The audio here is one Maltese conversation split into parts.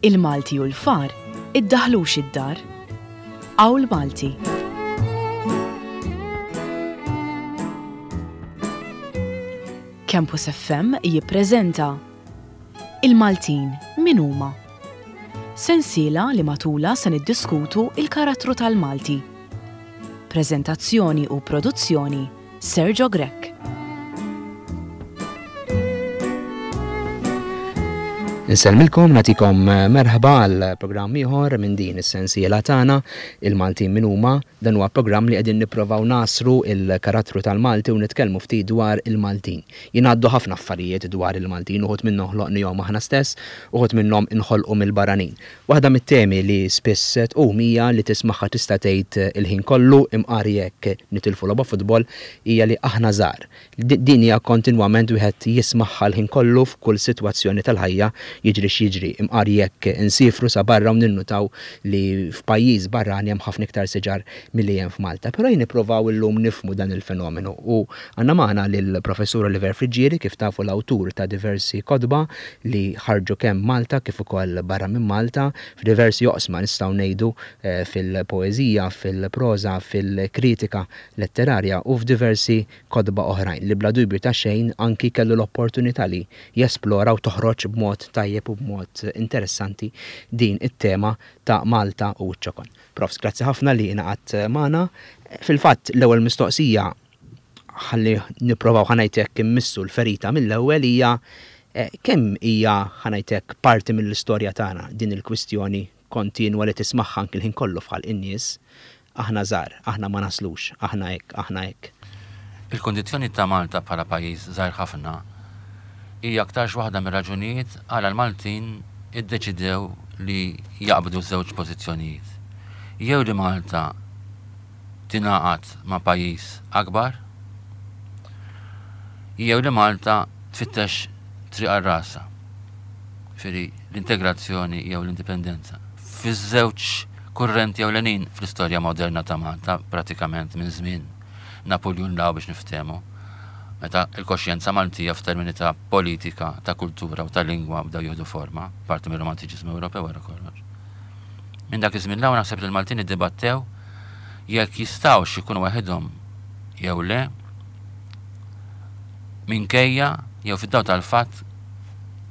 Il-Malti u l-far iddaħħlux id-dar. Qawl Malti. Campus FM jippreżenta Il-Maltin min huma? Sensiela li matulha se niddiskutu il-karattru tal-Malti. Preżentazzjoni u produzzjoni Sergio Grech. Insellmilkom, nagħtikom merħba għal programm ieħor minn din is-sensiela tagħna, Il-Maltin min huma. Dan huwa programm li qegħdin nipprovaw nagħsru l-karattru tal-Malti u nitkellmu ftit dwar il-Maltin. Jingħaddu ħafna affarijiet dwar il-Maltin, uħud minnhom ħloqnihom aħna stess, uħud minnhom inħolqu mill-barranin. Waħda mit-temi li spiss tqum hija li tismagħha tista' tgħid il-ħin kollu, imqar jekk nitilfu logħba futbol, hija li aħna żgħar. Din hija kontinwament wieħed jismagħha l-ħin kollu f'kull sitwazzjoni tal-ħajja jiġri x'jiġri, imqar jekk insiefru sa barra u ninnutaw li f'pajjiż barrani hemm ħafna iktar siġar milli hemm f'Malta. Però ejja nipprovaw illum nifhmu dan il-fenomenu u għandna magħna lill-Professur Oliver Friggieri, kif tafu l-awtur ta' diversi kotba li ħarġu kemm Malta kif ukoll barra minn Malta, f'diversi oqsma nistgħu ngħidu fil-poeżija, fil-proża, fil-kritika letterarja u f'diversi kotba oħrajn li bla dubju ta' xejn anki kellu l-opportunità li jesplora u toħroġ b'mod tajjeb u b'mod interessanti din it-tema ta' Malta u ċ-ċokon. Profs, grazzi ħafna li ingħaqadt magħna. Fil-fatt l-ewwel mistoqsija ħalli nipprovaw ħa ngħid hekk immissu l-ferita mill-ewwel hija kemm hija ħa ngħid hekk parti mill-istorja tagħna din il-kwistjoni kontinwa li tismagħha anki l-ħin kollu f'ħalq in-nies, aħna żgħar, aħna ma naslux, aħna hekk, aħna hekk. Il-kundizzjoni ta' Malta bħala pajjiż żgħir ħafna hija aktarx waħda mir-raġunijiet għala l-Maltin iddeċidew li jaqbdu żewġ pożizzjonijiet. Jew li Malta tingħaqad ma' pajjiż akbar jew li Malta tfittex triq għal rasha. Ġifieri l-integrazzjoni jew l-indipendenza. Fiż-żewġ kurrenti ewlenin fl-istorja moderna ta' Malta, pratikament minn żmien Napuljun 'l hawn biex niftehmu, meta l-koxjenza Maltija f'termini ta' politika, ta' kultura u ta' lingwa bdew jieħdu forma, parti mir-Romantiċiżmu Ewropew wara kollox. Minn dak iż-żmien 'l hawn naħseb li l-Maltin iddibattew jekk jistgħux ikunu waħedhom jew le minkejja jew fid-dawl tal-fatt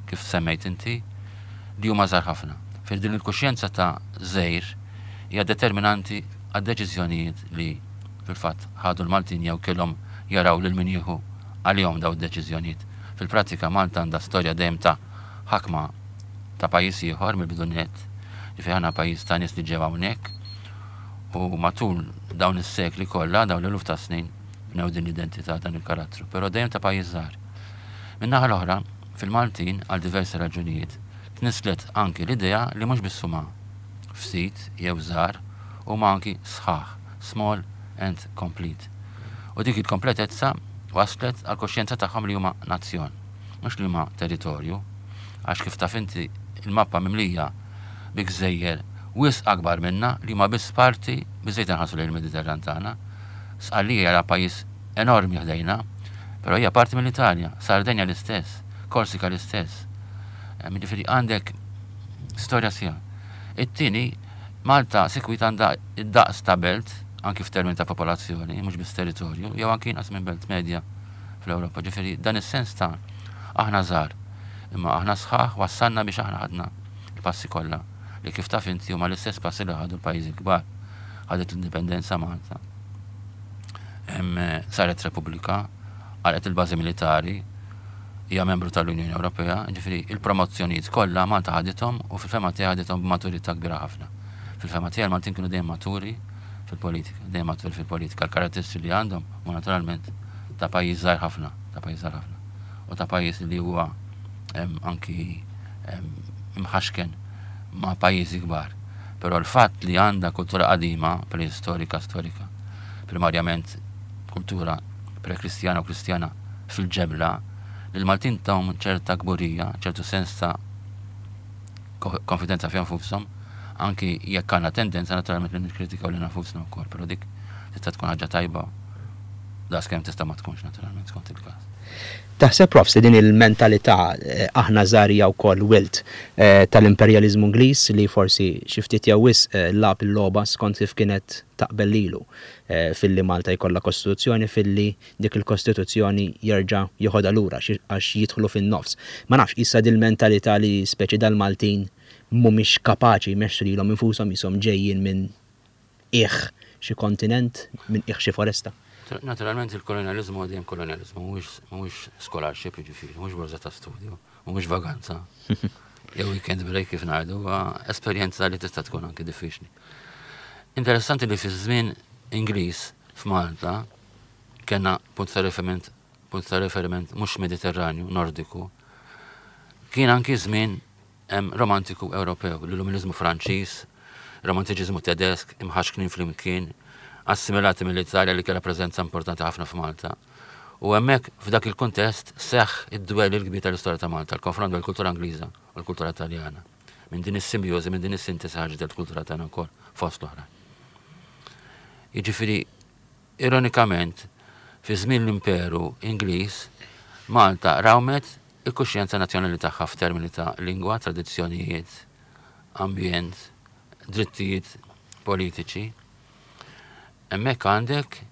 kif semmejt inti li huma żgħar ħafna. Fil din il-kuxjenza ta' żgħir hija determinanti għad-deċiżjonijiet li fil-fatt ħadu l-Maltin jew kellhom jaraw lil min jieħu għalihom dawn id-deċiżjonijiet. Fil-prattika Malta għandha storja dejjem ta' ħakma ta' pajjiż ieħor mill-bidu nett, ġifieri aħna pajjiż ta' nies li ġew hawnhekk u matul dawn is-sekli kollha, dawn l-eluf ta' snin, bnew din l-identità, dan il-karattru, però dejjem ta' pajjiż żgħar. Min-naħa l-oħra, fil-Maltin, għal diversi raġunijiet, tnisslet anki l-idea li mhux biss huma ftit jew żgħar, huma anki sħaħ, small and complete. U dik il-kompletezza wasslet għall-kuxjenza tagħhom li huma nazzjon, mhux li huma territorju. Għax kif taf inti il-mappa mimlija bi gżejjer wisq akbar minna li huma biss parti, biżżejjed inħarsu lejn il-Mediterran tagħna. Sqallija hija pajjiż enormi ħdejna, però hija parti mill-Italja, Sardenja l-istess, Korsika l-istess. Jiġifieri għandek storja sħiħa. It-tieni, Malta sikwit għandha d-daqs ta' belt, anki f'termini ta' popolazzjoni, mhux biss territorju, jew anki inqas minn belt medja fl-Ewropa. Ġifieri dan is-sens ta' aħna żgħar, imma aħna sħaħ wassalna biex aħna ħadna l-passi kollha li kif taf inti huma l-istess passi li ħadu l-pajjiżi l-kbar. Ħadet l-indipendenza Malta. Saret Repubblika, għalqet il-bażi militari, hija membru tal-Unjoni Ewropea, ġifieri il-promozzjonijiet kollha Malta ħadithom u fil-fehma tiegħi ħadithom b'maturità kbira ħafna. Fil-fehma tiegħi l-Maltin kienu dejjem maturi fil-politika, dejjem maturi fil-politika. L-karatteristiċi li għandhom huma naturalment ta' pajjiż żgħir ħafna, ta' pajjiż żgħir ħafna. U ta' pajjiż li huwa anki imħaxken ma' pajjiżi kbar. Però l-fatt li għandha kultura qadima, preistorika, storika, primarjament kultura pre-Kristjana u Kristjana fil-ġebla, li l-Maltin tahom ċerta kburija, ċertu sens ta' konfidenza fihom nfushom, anki jekk għandna tendenza naturalment li nikkritikaw lilna nfusna wkoll, però dik tista' tkun ħaġa tajba. Daqskemm tista' ma tkunx naturalment skont il-każ. Taħseb Profs li din il-mentalità aħna żgħar hija wkoll wilt tal-imperjaliżmu Ingliż li forsi xi ftit jew wisq lagħab il-logħba skont kif kienet taqbel lilu filli Malta jkollha kostituzzjoni filli dik il-kostituzzjoni jerġa' joħodha lura għax jidħlu fin-nofs. Ma nafx qisha dil-mentalità li speċi dal-Maltin mhumiex kapaċi jmexxu lilhom infushom qishom ġejjin minn qiegħ xi kontinent, minn qiegħ xi foresta. Naturalment il-kolonjaliżmu huwa dejjem kolonjaliżmu, mhuwiex scholarship jiġifieri, mhuwiex borża ta' studju, mhuwiex vaganza. Jew weekend break kif ngħidu, huwa esperjenza li tista' tkun anki diffiċli. Interessanti li fi żmien Ingliż f'Malta kellna punt ta' riferiment punt ta' riferiment mhux Mediterranju, Nordiku. Kien anki żmien Hemm romantiku Ewropew, l-Illuministmu Franċiż, romantiċiżmu Tedesk, imħaxknin flimkien, assimilati mill-Italja li kellha preżenza importanti ħafna f'Malta. U hemmhekk, f'dak il-kuntest, seħħ id-dwell il-kbir tal-istorja ta' Malta, l-konfront bejn il-kultura Ingliża u l-kultura Taljana. Minn din is-simbjożi, minn din is-sintesi ħarġet il-kultura tagħna wkoll, fost l-oħrajn. Jiġifieri, Ironikament, fi żmien l-Imperu Ingliż, Malta rawmet il-kuxjenza nazzjonali tagħha f'termini ta' lingwa, tradizzjonijiet, ambjent, drittijiet politiċi. Hemmhekk għandek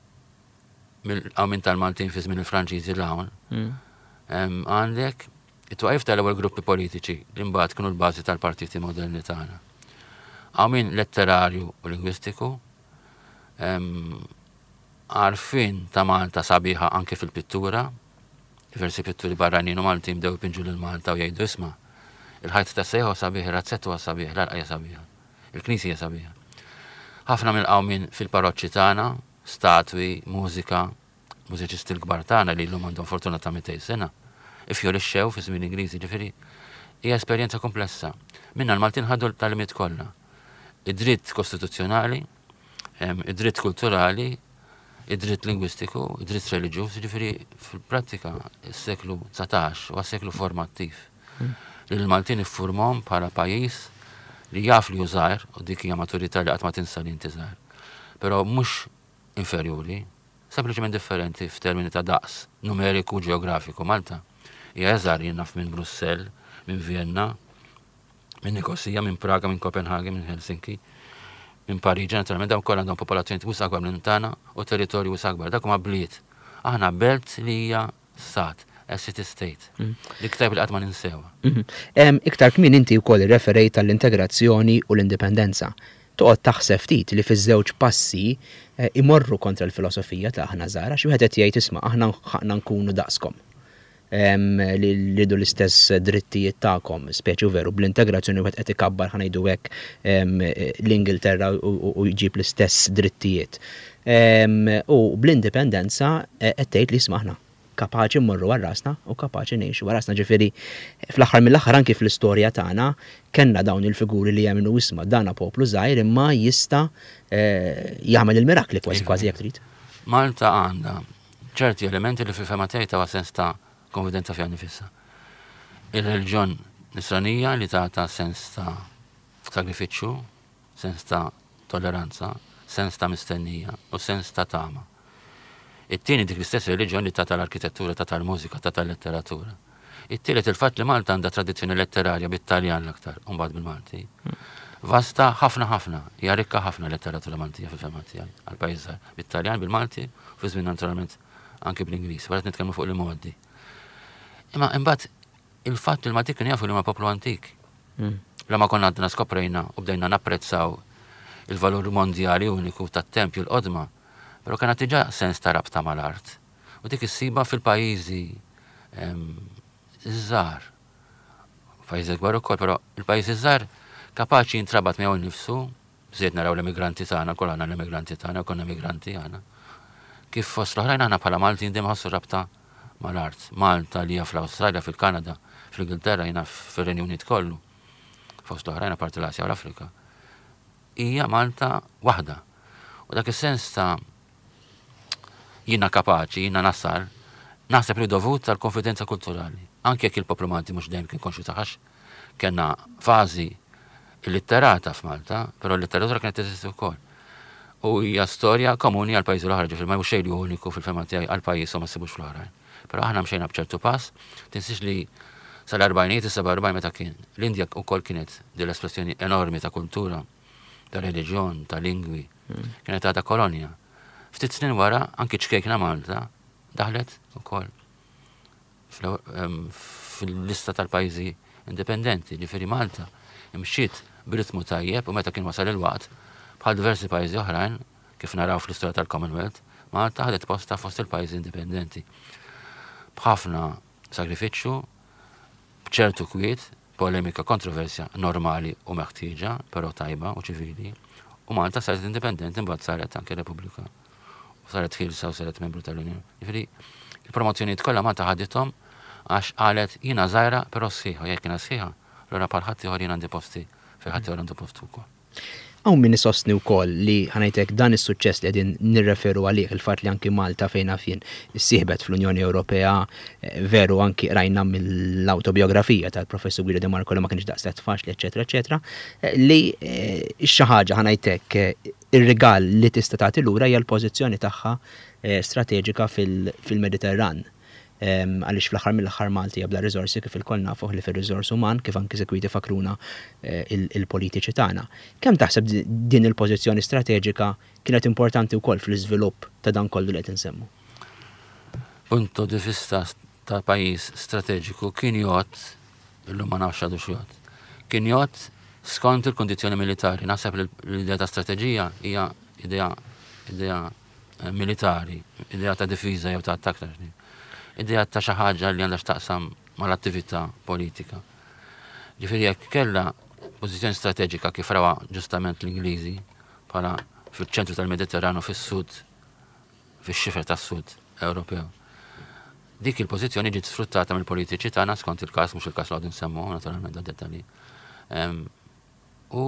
mill-qawmien tal-Maltin fi żmien il-Franċiżi 'l hawn, għandek it-twaqif tal-ewwel gruppi politiċi li mbagħad kienu l-bażi tal-partiti moderni tagħna. Qawmien letterarju u lingwistiku, Għarfien ta' Malta sabiħa anke fil-pittura. Diversi pitturi barranin u Maltin bdew ipinġu lil Malta u jgħidu isma', il-ħajt tas-sejħa huwa sabiħ, ir-razzett huwa sabiħ, l-għalqa hija sabiħa, il-knisja hija sabiħa. Ħafna mill-qawmien fil-paroċċi tagħna, statwi, mużika, mużiċisti l-kbar tagħna li llum għandhom fortuna ta' 200 sena, iffjorixxew fi żmien Ingliżi, ġifieri hija esperjenza komplessa. Minna l-Maltin ħadu l-tagħlimiet kollha. Id-dritt kostituzzjonali, id-dritt kulturali, id-dritt lingwistiku, id-dritt reliġjuż, ġifieri fil-prattika s-seklu 19 huwa seklu formattiv. Hmm. Li l-Maltin iffurmhom bħala pajjiż li jaf li hu żgħir u dik hija maturità li qatt ma tinsa li inti żgħir. Però mhux inferjuri, sempliċement differenti f'termini ta' daqs numeriku u ġeografiku. Malta hija iżgħar jien naf minn Brussell, minn Vienna, minn Nikosija, minn Praga, minn Kopenhagen, minn Helsinki, minn Pariġi, naturalment dawn kollha għandhom popolazzjoni wisq akbar minn tagħna u territorju wisq akbar. Dak huma bliet. Aħna belt li hija stat, a city state. Mm. Dik tajb li qatt ma ninsewha. Mhm. Iktar kmin inti wkoll irreferejt għall-integrazzjoni u l-indipendenza. Toqgħod taħseb ftit li fiż-żewġ passi eh, imorru kontra l-filosofija ta' aħna żgħar, għax wieħed qed jgħid isma' aħna ħaqna nkunu daqskom. li rridu l-istess drittijiet tagħkom, speċi u veru bl-integrazzjoni wieħed qed ikabbar ħa ngħidu hekk l-Ingilterra u jġib l-istess drittijiet. U bl-indipendenza e, qed tgħid li isma' aħna kapaċi mmorru għal rasna u kapaċi ngħixu għal rasna. Ġifieri fl-aħħar mill-aħħar anki fl-istorja tagħna kellna dawn il-figuri li jemmnu isma' dana poplu żgħir imma jista' e, jagħmel il-mirakli kważi kważi jekk trid. Malta għandha ċerti elementi li fil-fehma tiegħi tawha sens ta' konfidenza fiha nnifisha. Ir-reliġjon nisranija li tagħta sens ta' sagrifiċċju, sens ta' tolleranza, sens ta' mistennija u sens ta' tama. It-tieni dik l-istess reliġjon li tagħta l-arkitettura, tagħta l-mużika, tagħta l-letteratura. It-tielet il-fatt li Malta għandha tradizzjoni letterarja bit-Taljan l-aktar, u mbagħad bil-Malti. Vasta ħafna ħafna, hija rikka ħafna letteratura Maltija fil-fehma tiegħi għal pajjiż żgħir. Bit-Taljan, bil-Malti, u fi żmien naturalment anki bl-Ingliż, wara nitkellmu fuq l-imgħoddi. Imma imbagħad il-fatt li l-Malti kienu jafu li huma poplu antik. Mm. La ma konna għadna skoprejna u bdejna napprezzaw il-valur mondjali uniku tat-tempju l-qodma, però kena diġà sens ta' rabta mal-art. U dik issibha fil-pajjiżi ż-żgħar. Pajjiżi kbar ukoll, però il-pajjiżi żgħar kapaċi jintrabat miegħu nnifsu, bżejt naraw l-emigranti tagħna, kol għandna l-emigranti tagħna, konna emigranti aħna. Kif fost l-oħrajn aħna bħala Maltin dejjem ħassu rabta mal-art. Malta li hija fl-Awstralja, fil-Kanada, fl-Ingilterra, jiena fir-Renju Unit kollu. Fost l-oħrajn apparti l-Asja u l-Afrika. Hija Malta waħda. U dak is-sens ta' jiena kapaċi, jiena nasal, naħseb li dovut tal-konfidenza kulturali. Anke jekk il-poplu Malti mhux dejjem kien konxju tagħha kellna fażi illitterata f'Malta, però l-letteratura kienet teżisti wkoll. U hija storja komuni għal pajjiżi l-oħra, ġifieri ma hu xejn li uniku fil-fehma tiegħi għal pajjiż u ma ssibux fl-oħrajn. Però aħna mxejna b'ċertu pass, tinsiex li sal-erbgħinijiet, is-47 meta kien l-Indja wkoll kienet din l-espressjoni enormi ta' kultura, ta' reliġjon, ta' lingwi, kienet għadha kolonja. Ftit snin wara anki ċkejkna Malta daħlet ukoll fil-lista tal-pajjiżi indipendenti, ġifieri Malta imxiet b'ritmu tajjeb u meta kien wasal il-waqt, bħal diversi pajjiżi oħrajn, kif naraw fl-istorja tal-Commonwealth, Malta ħadet postha fost il-pajjiżi indipendenti. B'ħafna sagrifiċċju, b'ċertu kwiet, polemika, kontroversja normali u meħtieġa, però tajba u ċivili, u Malta saret indipendenti mbagħad saret anke Repubblika. U saret ħielsa u saret membru tal-Unjoni. Jiġifieri, il-promozzjonijiet kollha Malta ħadithom għax qalet jiena żgħira però sħiħa, jekk jiena sħiħa, allura bħal ħaddieħor jien għandi posti fejn ħaddieħor għandu postu wkoll. Hawn min isostni wkoll li, ħa ngħid hekk, dan is-suċċess li qegħdin nirreferu għalih, il-fatt li anki Malta fejn naf jien issieħbet fl-Unjoni Ewropea, veru anki qrajna mill-awtobiografija tal-Professur Guido De Marco li ma kienx daqshekk faċli, eċċetera, eċċetera, li xi ħaġa, ħa ngħid hekk, ir-rigal li tista' tagħti lura hija l-pożizzjoni tagħha strateġika fil-Mediterran. Għaliex fl-aħħar mill-aħħar Malta hija bla riżorsi kif ilkoll nafu ħlief ir-riżors uman kif anki sikwit ifakkruna il-politiċi tagħna. Kemm taħseb din il-pożizzjoni strateġika kienet importanti wkoll fl-iżvilupp ta' dan kollu li qed insemmu? Punto di vista ta' pajjiż strateġiku kien jgħodd, illum ma nafx għadux jgħodd, kien jgħodd skont il-kundizzjoni militari. Naħseb li l-idea ta' strateġija hija idea idea militari, idea ta' difiża jew ta' attakk ta' xni. Idea ta' xi ħaġa li għandha x'taqsam mal-attività politika. Ġifieri jekk kellha pożizzjoni strateġika kif rawha ġustament l-Ingliżi bħala fiċ-ċentru tal-Mediterranu fis-sud, fix-xifer tas-sud Ewropew. Dik il-pożizzjoni ġiet sfruttata mill-politiċi tagħna skont il-każ, mhux il-każ li għadu nsemmu naturalment da dettalji. U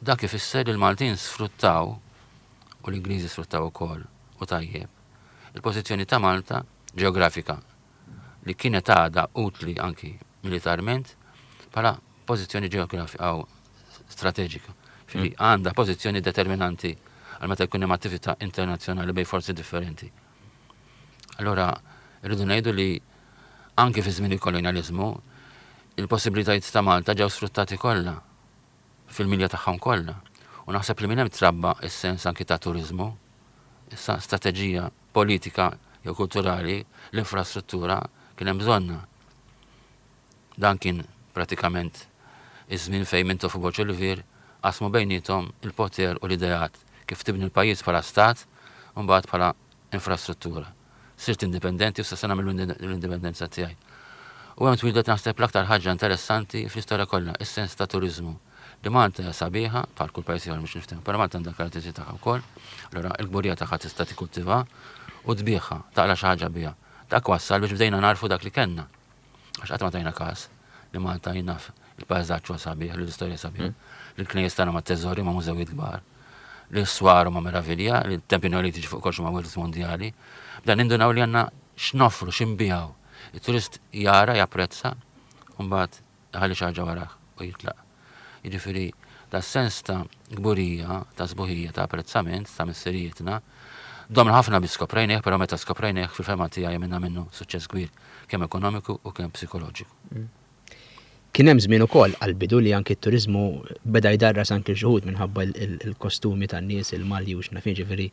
dak ifisser li l-Maltin sfruttaw u l-Ingliżi sfruttaw ukoll u tajjeb il-pożizzjoni ta' Malta ġeografika li kienet għadha utli anki militarment bħala pożizzjoni ġeografika u strateġika. Fili mm. għandha pożizzjoni determinanti għal meta jkun hemm attività internazzjonali bejn forzi differenti. Allora, rridu ngħidu li anki fi żmien il-kolonjaliżmu, il-possibilitajiet ta' Malta ġew sfruttati kollha fil-milja tagħhom kollha. U naħseb li minn hemm trabba s-sens anki ta' turiżmu, issa strateġija politika jew kulturali, l-infrastruttura kien hemm bżonnha. Dan kien pratikament iż-żmien fejn Mintoff u Borg Olivier qasmu bejniethom il-poter u l-ideat kif tibni l-pajjiż bħala stat u mbagħad bħala infrastruttura. Sirt indipendenti u sa nagħmel l-indipendenza tiegħi. U hemm twieldet naħseb l-aktar ħaġa interessanti fl-istorja kollha, is-sens ta' turiżmu. Li Malta hija sabiħa, bħal kull pajjiż ieħor mhux niftehmu, però Malta għandha l-karatteristiċi tagħha wkoll. Allura l-kburija tagħha tista' tikkultivha u tbigħha, taqla' xi ħaġa biha. Dak wassal biex bdejna nagħrfu dak li kellna. Għax qatt ma tajna każ li Malta jien naf il-pajżaġġ huwa sabiħ, li l-istorja sabiħ, li l-knejjes tagħna ma teżori ma mużewijiet kbar, li s-swar huma meravilja, li t-tempji neolitiċi fuq kollox huma wirt mondjali. Dan nindunaw li għandna x'noffru, x'inbiegħu. Il-turist jara, japprezza, u mbagħad iħalli xi ħaġa warah u jitlaq. Jiġifieri da sens ta' kburija, ta' sbuħija, ta' apprezzament ta' missirijietna, domna ħafna biex skoprejnieh, però meta skoprejnieh fil-fehma tiegħi għamilna minnu suċċess kbir kemm ekonomiku u kemm psikoloġiku. Mm. Kien hemm żmien ukoll għall-bidu li anki t-turiżmu beda jdarras anki xi wħud minħabba il-kostumi tan-nies, il-malji u x'naf jiġifieri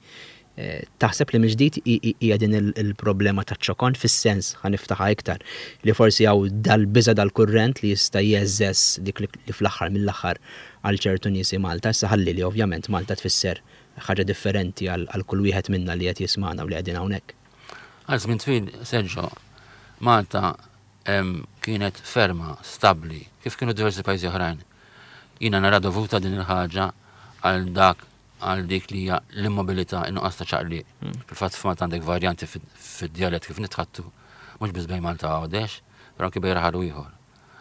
Taħseb li mill-ġdid hija din il-problema taċ-ċokon fis-sens, ħa niftaħha iktar, li forsi hawn dal-biża' dal-kurrent li jista' jgħeżżeż dik li fl-aħħar mill-aħħar għal ċertu nies hi Malta. Issa ħalli li ovvjament Malta tfisser ħaġa differenti għal kull wieħed minna li qed jismagħna u li qegħdin hawnhekk. Għal żmien twil, Sergio, Malta kienet ferma, stabbli, kif kienu diversi pajjiżi oħrajn. Jiena nara dovuta din il-ħaġa għal dak għal dik li hija l-immobilità, in-nuqqas ta' ċaqliq. Hmm. Fil-fatt f'Malta għandek varjanti fid-djalett kif nitħattu, mhux biss bejn Malta Għawdex, però anki bejn raħal u ieħor.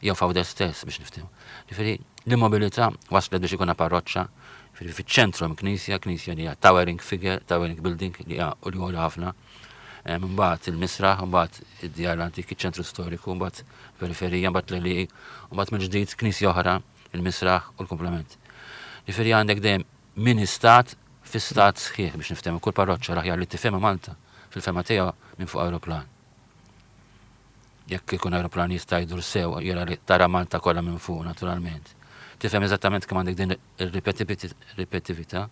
Jew f'Għawdex stess biex niftehmu. Ġifieri l-immobilità waslet biex ikun parroċċa, ġifieri fiċ-ċentru hemm knisja, knisja li hija towering figure, towering building li hija u li għolja ħafna. Mbagħad il-misraħ, mbagħad id-djar l-antiki, ċentru storiku, mbagħad periferija, mbagħad l-għelieqi, mbagħad mill-ġdid knisja oħra il-misraħ u l-kumplament. Ġifieri għandek dejjem mini stat Fi stat sħiħ biex niftehmu kull parroċċa l-aħjar li tifhimha Malta fil-fehma tiegħu minn fuq aeroplan. Jekk ikun aeroplan jista' jdur sew jara li tara Malta kollha minn fuq naturalment. Tifhem eżattament kemm għandek din ir-ripetitività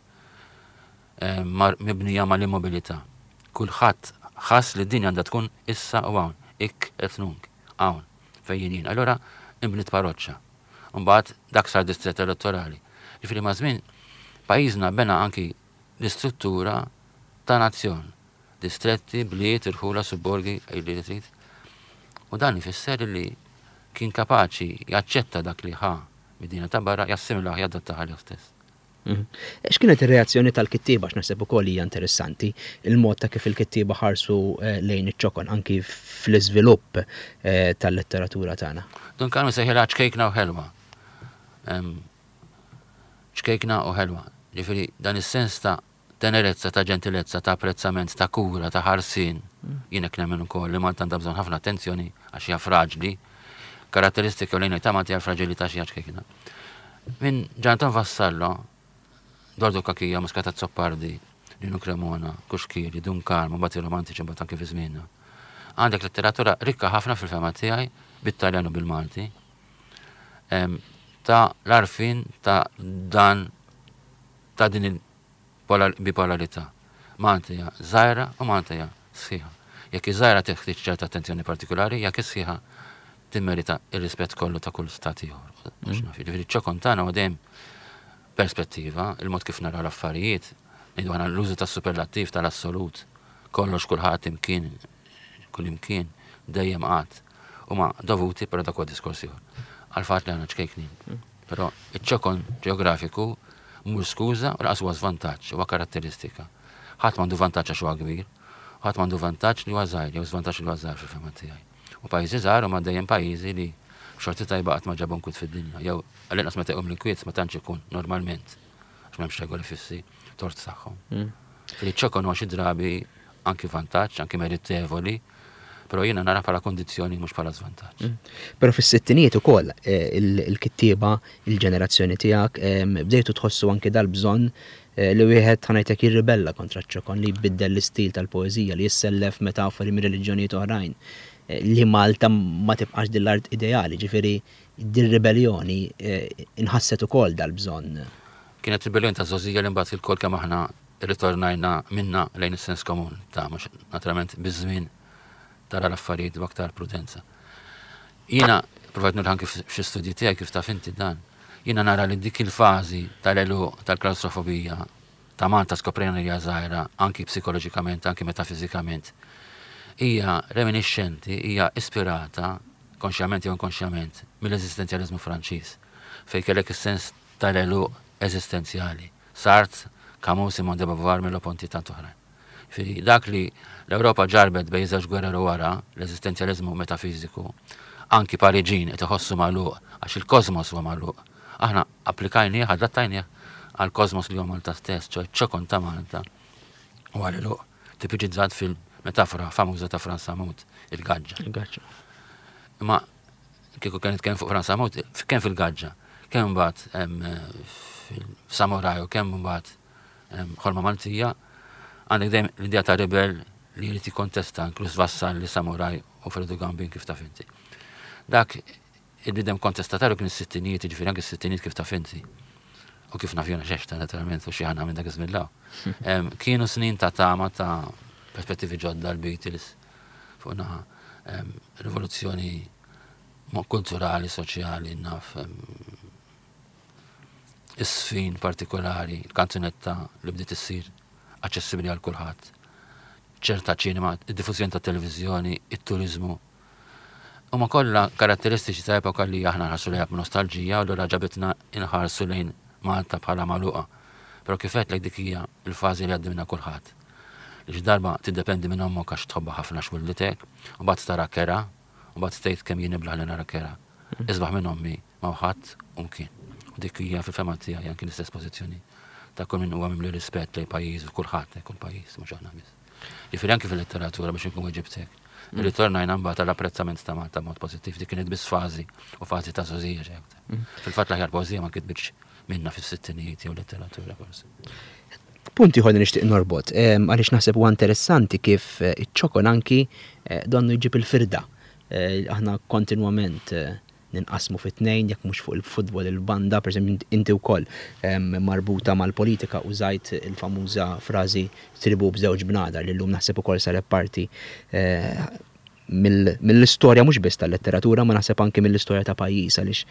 eh, mibnija mal-immobilità. Kulħadd ħass li d-dinja għandha tkun issa u hawn, ik et nunc, hawn, fejn jien jien. Allura inbniet parroċċa. Mbagħad dak sar distrett elettorali. Ġifieri maż-żmien pajjiżna bena anki l-istruttura ta' nazzjon. Distretti, bliet, irħula, subborgi, għidli li trid. U dan ifisser li kien kapaċi jaċċetta dak li ħa mid-dinja ta' barra, jassimilah, jadattah għalih stess. Mhm. X'kienet ir-reazzjoni tal-kittieba għax naħseb ukoll hija interessanti il-mod ta' kif il-kittieba ħarsu eh, lejn iċ-ċokon anki fl-iżvilupp eh, tal-letteratura tagħna. Dun Karm sejħilha ċkejkna u ħelwa. Ċkejkna u ħelwa. Ġifieri dan is-sens ta' tenerezza, ta' ġentilezza, ta' apprezzament, ta' kura, ta' ħarsien. Jien hekk nemmen ukoll li Malta għandha bżonn ħafna attenzjoni għax hija fraġli. Karatteristika ewlenija ta' Malta hija l-fraġilità xi ċkejkna. Minn Ġanton Vassallo, Dordo Kakija, Muscat Azzopardi, Lino Cremona, Kuxkiri, Dun Karm, u mbagħad ir-Romantiċi mbagħad anke fi żmienna. Għandek letteratura rikka ħafna fil-fema tiegħi bit-Taljan u bil-Malti. Ta' l-arfin ta' dan ta' din il-bipolarità. Malta hija żgħira u Malta hija sħiħa. Jekk hi żgħira teħtieġ ċerta attenzjoni partikulari, jekk hi sħiħa timmerita r-rispett kollu ta' kull stat ieħor. Mhux naf, jiġifieri ċ-ċokon tagħna huwa dejjem perspettiva, il-mod kif naraw l-affarijiet, ngħidu aħna l-użu tas-superlattiv tal-assolut, kollox kulħadd imkien, kullimkien, dejjem qatt, huma dovuti, però dak huwa diskors ieħor, għall-fatt li aħna ċkejknin. Però iċ-ċokon ġeografiku mhux skuża u lanqas huwa żvantaġġ, huwa karatteristika. Ħadd m'għandu vantaġġ għax huwa kbir, u ħadd m'għandu vantaġġ li huwa żgħir jew żvantaġġ li huwa żgħir fil-fehma tiegħi. U pajjiżi żgħar huma dejjem pajjiżi li b'xorti tajba qatt ma ġabu nkwiet fid-dinja, jew għall-inqas meta jqum l-inkwiet ma tantx ikun normalment, għax m'hemmx regoli fissi, tort tagħhom. Mm. Fil-ċokon huwa xi drabi anki vantaġġ, anki meritevoli, però jiena nara bħala kondizzjoni mhux bħala żvantaġġ. Mm. Però fis-sittinijiet ukoll eh, il-kittieba, il-ġenerazzjoni tiegħek, bdejtu tħossu anki dal-bżonn eh, li wieħed ħanajtek jirribella kontra ċ-ċokon li jbiddel l-istil tal-poeżija li jissellef metafori minn reliġjonijiet oħrajn eh, li Malta ma tibqax din l-art ideali, ġifieri din ribelljoni inħasset ukoll dal-bżonn. Kienet ribelljoni ta' żgħożija li mbagħad ilkoll kemm aħna rritornajna minnha lejn is-sens komun ta' mhux naturalment biż-żmien tara l-affarijiet b'aktar prudenza. Jiena provajt nurih anki f'xi studji tiegħi kif taf inti dan. Jiena nara li dik il-fażi tal-għeluq tal-klawstrofobija ta' Malta skoprejna li hija żgħira anki psikoloġikament, anki metafiżikament, hija reminixxenti, hija ispirata, konxjament jew inkonxjament, mill-eżistenzjaliżmu Franċiż, fejn kellek is-sens tal-għeluq eżistenzjali. Sartre, Camus, Simone de Beauvoir, Merleau-Ponty, tant oħrajn. Jiġifieri dak li l-Ewropa ġarrbet bejn żewġ gwerer u wara, l-eżistenzjaliżmu metafiżiku, anki Pariġin qed iħossu magħluq għax il-kosmos huwa magħluq. Aħna applikajnieh, adattajnieh għall-kosmos li huwa Malta stess, ċoe ċ-ċokon ta' Malta huwa l-għeluq tipiċizzat fil-metafora famuża ta' Frans Samut, il-gaġġa. Il-gaġġa. Imma kieku kien nitkellem fuq Frans Samut, kemm fil-gaġġa, kemm imbagħad fil-Samuraj u kemm imbagħad Ħolma Maltija, għandek dejjem l-idea ta' rebel li jrid jikkontesta, inkluż Vassalli, Samuraj u Fredu Gambin kif taf inti. Dak il-bniedem kontestatarju kien is-sittinijiet, jiġifieri anke s-sittinijiet kif taf inti. U kif naf jiena xexta naturalment u xi ħana minn dak iż-żmien law. Kienu snin ta' tama ta' perspettivi ġodda l-Beatles fuq naħa rivoluzzjoni kulturali, soċjali, naf is-sfin partikolari, il-kanzunetta li bdiet issir aċċessibbli għal kulħadd, ċerta ċinema, id-diffużjoni tat-televiżjoni, it-turiżmu. Huma kollha karatteristiċi ta' epoka li aħna nħarsu lejha b'nostalġija u allura ġabitna nħarsu lejn Malta bħala magħluqa. Però kif għedtlek dik hija l-fażi li għaddi minnha kulħadd. Li xi darba tiddependi minn ommok għax tħobbha ħafna għax wildtek, u mbagħad tara kerha, u mbagħad tgħid kemm jien iblah li nara kerha. Isbaħ minn ommi m'hawn ħadd u mkien. U dik hija fil-fehma tiegħi anki l-istess pożizzjoni ta' kull min huwa mimli rispett lejn pajjiżu, kulħadd, kull pajjiż, mhux aħna biss. Ġifieri anki fil-letteratura biex inkun weġibtek. Mm. Irritornajna mbagħad għall-apprezzament ta' Malta b'mod pożittiv, dik kienet biss fażi u fażi ta' żgħożija xi aktar. Mm. Fil-fatt l-aħjar poeżija ma kitbitx minna fis-sittinijiet jew letteratura forsi. Punt ieħor li nixtieq norbot, għaliex naħseb huwa interessanti kif iċ-ċokon anki donnu jġib il-firda. Aħna kontinwament ninqasmu fi tnejn jekk mhux fuq il-futbol il-banda, pereżempju inti wkoll marbuta mal-politika użajt il-famuża frażi tribu b'żewġ bnadar li llum naħseb ukoll saret parti mill-istorja mhux biss tal-letteratura ma naħseb anki mill-istorja ta' pajjiż għaliex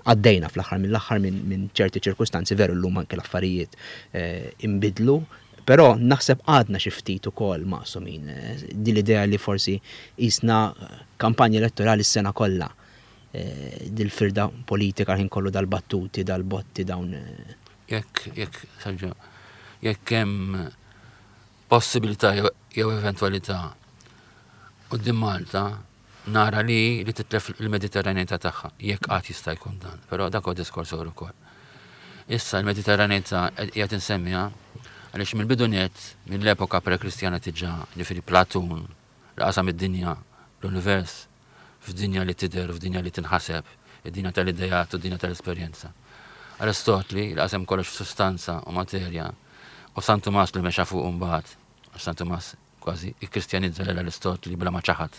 għaddejna fl-aħħar mill-aħħar minn ċerti ċirkustanzi veru llum anki l-affarijiet inbidlu, però naħseb għadna xi ftit ukoll maqsumin. Din l-idea li forsi qisna kampanja elettorali s-sena kollha dil-firda politika l-ħin kollu dal-battuti, dal-botti, dawn. Jekk, jekk, Sergio, jekk hemm possibilità jew eventwalità quddiem Malta nara li li titlef il-Mediterraneità tagħha, jekk qatt jista' jkun dan, però dak huwa diskors ieħor ukoll. Issa l-Mediterraneità qiegħed insemmiha għaliex mill-bidu nett, mill-epoka pre-Kristjana diġà, ġifieri Platun li qasam id-dinja, l-univers, f'dinja li tidher u f'dinja li tinħaseb, id-dinja tal-ideat u d-dinja tal-esperjenza. Aristotli li qasem kollox f'sustanza u materja, u San Tumas li mexa fuqu mbagħad, għax San Tumas kważi ikkristjanizza lil Aristotli bla ma ċaħad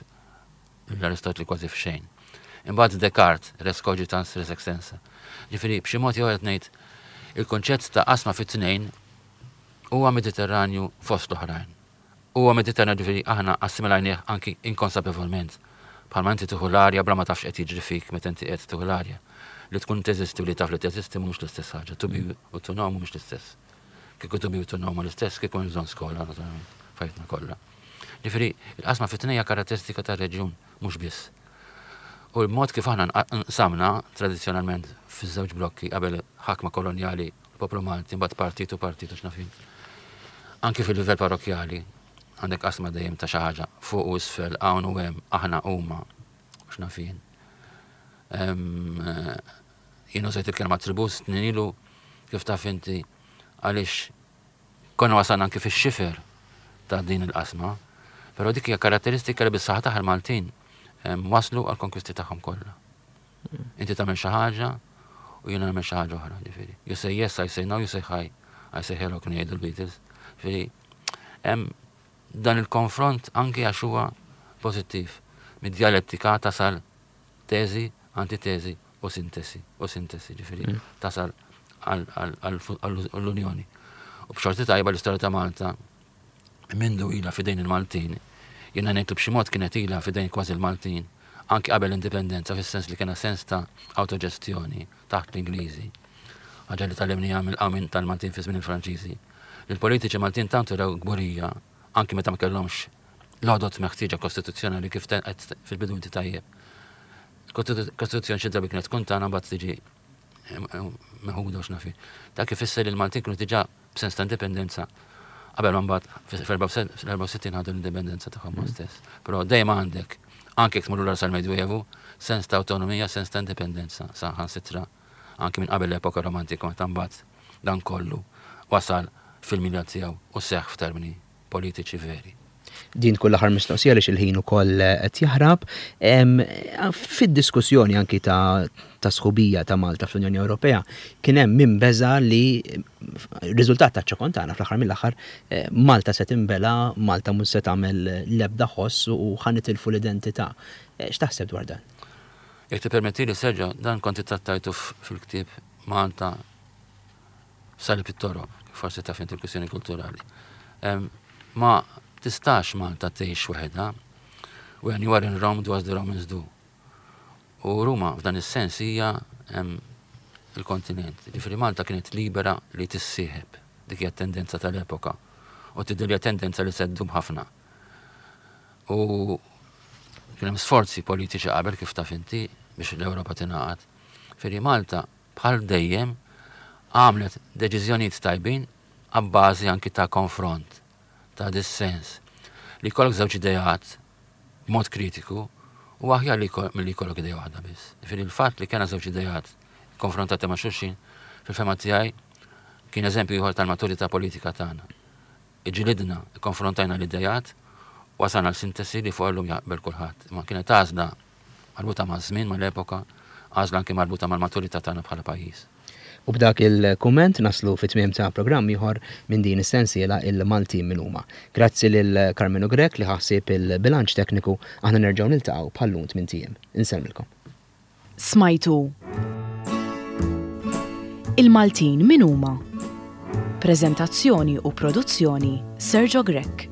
lil Aristotli kważi f'xejn. Imbagħad Descartes, res cogitans, res extensa. Ġifieri b'xi mod jew qed ngħid il-kunċett ta' qasma fit-tnejn huwa Mediterranju fost l-oħrajn. Huwa Mediterranju ġifieri aħna assimilajnieh anki inkonsapevolment. Bħalma inti tieħu l-arja bla ma taf x'qed jiġri fik meta inti qed tieħu l-arja. Li tkun teżisti u li taf li teżisti mhumiex l-istess ħaġa. To be u to know mhumiex l-istess. Kieku to be u to know huma l-istess, kieku hemm bżonn skola, naturalment, f'ħajjitna kollha. Ġifieri, il-qasma fit-tnejn hija karatteristika tar-reġjun, mhux biss. U l-mod kif aħna nqsamna tradizzjonalment fiż-żewġ blokki qabel ħakma kolonjali l-poplu Malti, mbagħad partit u partit u x'naf jien. Anki fil-livell parrokkjali għandek qasma dejjem ta' xi ħaġa fuq u isfel, hawn u hemm, aħna huma u x'naf jien. Jien użajt il-kelma tribù snin ilu kif taf inti għaliex konna wasalna anki fix-xifer ta' din il-qasma, però dik hija karatteristika li bis-saħħa tagħha l-Maltin waslu għall-konkwisti tagħhom kollha. Inti tagħmel xi ħaġa u jiena nagħmel xi ħaġa oħra, ġifieri. You say yes, I say no, you say hi, I say hello kienu jgħidu l-Beatles. Ġifieri, hemm dan il-konfront anki għax huwa pożittiv. Mid-djalettika tasal teżi, antiteżi u sintesi, u sintesi, ġifieri tasal għall-unjoni. U b'xorti tajba l-istorja ta' Malta mindu ilha f'idejn il-Maltin, jiena ngħid li b'xi mod kienet ilha f'idejn kważi l-Maltin, anki qabel l-Indipendenza, fis-sens li kellna sens ta' awtoġestjoni taħt l-Ingliżi, ħaġa li tgħallimniha mill-qawmien tal-Maltin fi żmien il-Franċiżi, li l-politiċi Maltin tant urew kburija, anki meta ma kellhomx l-għodod meħtieġa kostituzzjonali kif għedt fil-bidu inti tajjeb. Il-Kostituzzjoni xi drabi kienet tkun tagħna mbagħad tiġi meħuda u x'naf jien. Dak ifisser li l-Maltin kienu diġà b'sens ta' indipendenza qabel ma mbagħad fl-64 ħadu l-indipendenza tagħhom mm. stess. Però dejjem għandek, anke jekk tmur lura sal-Medjuevu, sens ta' awtonomija, sens ta' indipendenza, saħansitra anke minn qabel l-epoka romantika meta mbagħad dan kollu wasal fil-milja tiegħu u seħħ f'termini politiċi veri. Din tkun l-aħħar mistoqsija għaliex il-ħin ukoll qed jaħrab. Fid-diskussjoni anki ta' ta' sħubija ta' Malta fl-Unjoni Ewropea kien hemm min beża' li riżultat taċ-ċokon tagħna fl-aħħar mill-aħħar Malta se tinbela', Malta mhux se tagħmel l-ebda ħoss u ħa nitilfu l-identità. X'taħseb dwar dan? Jekk tippermettili Sergio, dan kont ittrattajtu fil-ktieb Malta Salib it-toroq, forsi taf inti l-kwistjoni kulturali. Ma tistax Malta tgħix waħedha. When you are in Rome, do as the Romans do. U Ruma f'dan is-sens hija il-kontinent. Ġifieri Malta kienet libera li tissieħeb. Dik hija tendenza tal-epoka. U tidher li tendenza li se ddum ħafna. U kien hemm sforzi politiċi qabel kif taf inti biex l-Ewropa tingħaqad. Ġifieri Malta bħal dejjem, għamlet deċiżjonijiet tajbin abbażi anki ta' konfront, ta' dissens. Li jkollok żewġ ideat b'mod kritiku huwa aħjar li milli jkollok idea waħda biss. Jiġifieri l-fatt li kellna żewġ ideat konfrontati ma' xulxin, fil-fehma tiegħi kien eżempju ieħor tal-maturità politika tagħna. Iġġilidna, ikkonfrontajna l-ideat, wasalna għal sintesi li fuqha llum jaqbel kulħadd. Imma kienet għażla marbuta maż-żmien, mal-epoka, għażla anki marbuta mal-maturità tagħna bħala pajjiż. U b'dak il-kumment naslu fi tmiem ta' programm ieħor minn din is-sensiela Il-Maltin Min Huma. Grazzi lil Karmenu Grech li ħa ħsieb il-bilanċ tekniku, aħna nerġgħu niltaqgħu bħal-lum tmint ijiem. Insellmilkom. Smajtu Il-Maltin Min Huma? Preżentazzjoni u produzzjoni Sergio Grech.